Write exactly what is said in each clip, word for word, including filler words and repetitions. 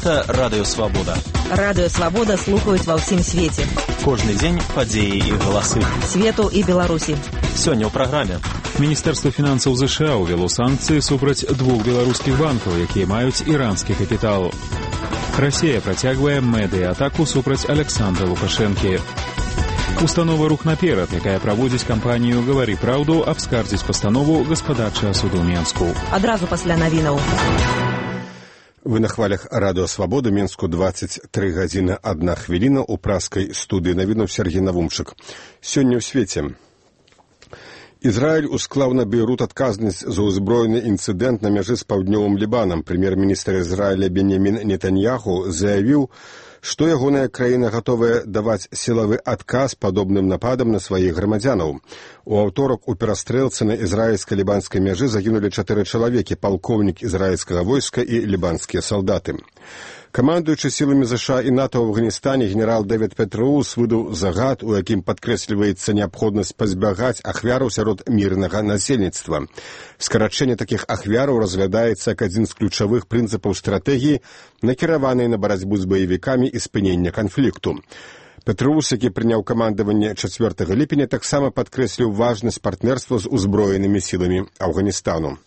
Гэта Радыё Свабода. Радыё Свабода слухаюць ва ўсім свеце. Кожны дзень падзеі і галасы. Свету і Беларусі. Сёння ў праграме. Міністэрства фінансаў ЗША ўвяло санкцыі супраць двух беларускіх банкаў, якія маюць іранскі капітал. Расія працягвае медыа-атаку супраць Александра Лукашэнкі. Установа «Рух наперад», якая праводзіць кампанію «Гавары праўду», абскардзіць пастанову гаспадарчага суду Менску. Адразу пасля навінаў. Вы на хвалях Радыё Свабода, Менску двадцать три гадзіны одна хвіліна, у праскай студыі навінаў Сергей Навумчык. Сёння ў свеце. Ізраіль усклаў на Бейрут адказнасць за ўзброены інцыдэнт на мяжы з паўднёвым Лібанам. Прэм'ер-міністр Ізраіля Беньямін Нетаньяху заявіў, што ягоная краіна гатовая даваць сілавы адказ падобным нападам на сваіх грамадзянаў. У аўторак у перастрэлцы на ізраільска-лібанскай мяжы загінулі чатыры чалавекі, палкоўнік ізраільскага войска і лібанскія салдаты. Камандуючы сіламі ЗША і НАТО ў Афганістане генерал Дэвід Петроус выдаў загад, у якім падкрэсліваецца неабходнасць пазбягаць ахвяраў сярод мірнага насельніцтва. Скарачэнне такіх ахвяраў разглядаецца як адзін з ключавых прынцыпаў стратэгіі, накіраванай на барацьбу з баевікамі і спынення канфлікту. Петроус, які прыняў камандаванне чацвёртага ліпеня, таксама падкрэсліў важнасць партнерства з узброенымі сіламі Афганістану.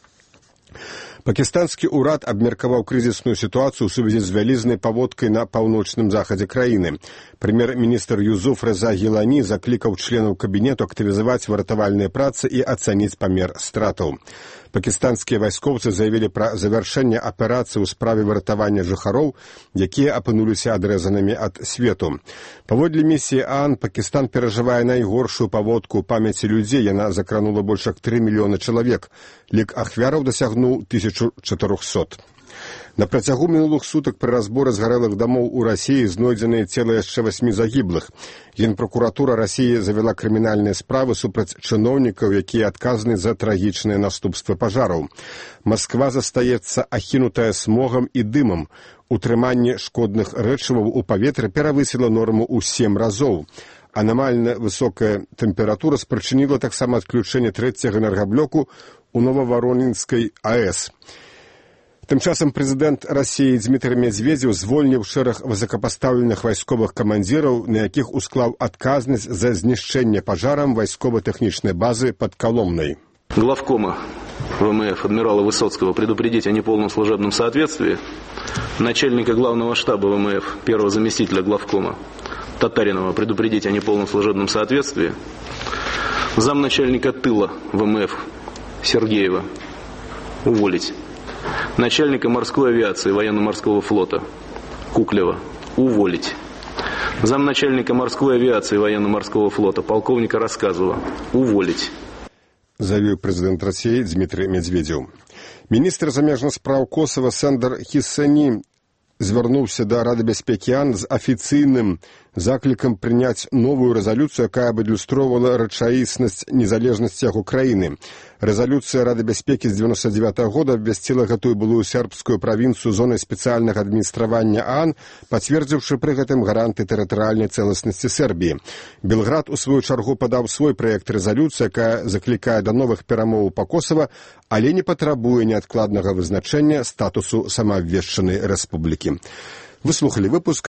Пакістанскі ўрад абмеркаваў крызісную сітуацыю ў сувязі з вялізнай паводкай на паўночным захадзе краіны. Прэм'ер-міністр Юзуф Реза Гілані заклікаў членаў кабінету актывізаваць выратавальныя працы і ацаніць памер стратаў. Пакістанскія вайскоўцы заявілі пра завяршэнне аперацыі ў справе выратавання жыхароў, якія апынуліся адрэзанымі ад свету. Паводле місіі ААН, Пакістан перажывае найгоршую паводку ў памяці людзей. Яна закранула больш як тры мільёны чалавек. Лік ахвяраў дасягнуў тысячу чатырохсот. На працягу мінулых сутак пры разборы згарэлых дамоў у Расіі знойдзеныя цела яшчэ васьмі загіблых. Генпракуратура Расіі завяла крымінальныя справы супраць чыноўнікаў, якія адказаны за трагічныя наступствы пажараў. Масква застаецца ахінутая смогам і дымам. Утрыманне шкодных рэчываў у паветры перавысіла норму ў сем разоў. Анамальна высокая тэмпература спрычыніла таксама адключэнне трэцяга энергаблоку ў Новаваронінскай АЭС. Тым часам прэзідэнт Расіі Дзмітрый Медзведзеў звольніў шэраг высокапастаўленых вайсковых камандзіраў, на якіх усклаў адказнасць за знішчэнне пажарам вайскова-тэхнічнай базы пад Коломной. Главкома ВМФ адмирала Высоцкого предупредить о неполном служебном соответствии, начальника главного штаба ВМФ, первого заместителя главкома Татаринова предупредить о неполном служебном соответствии, замначальника тыла ВМФ Сергеева уволить. Начальника морской авиации военно-морского флота Куклева уволить. Замначальника морской авиации военно-морского флота полковника Рассказова уволить. Заявіў прэзідэнт Расіі Дзмітрый Медзведзеў. Міністр замежных спраў Косава Сандер Хіссані звярнуўся да Рады бяспекі ААН з афіцыйным заклікам прыняць новую рэзалюцыю, якая б адлюстроўвала рэчаіснасць незалежнасці яго краіны. Рэзалюцыя Рады бяспекі з дзевяносто девятого года абвясціла гэтую былую сербскую правінцыю зонай спецыяльнага адміністравання ААН, пацвердзіўшы пры гэтым гаранты тэрытарыяльнай цэласнасці Сербіі. Белград у сваю чаргу падаў свой праект рэзалюцыі, якая заклікае да новых перамоў па Косава, але не патрабуе неадкладнага вызначэння статусу самаабвешчанай рэспублікі. Вы слухалі выпуск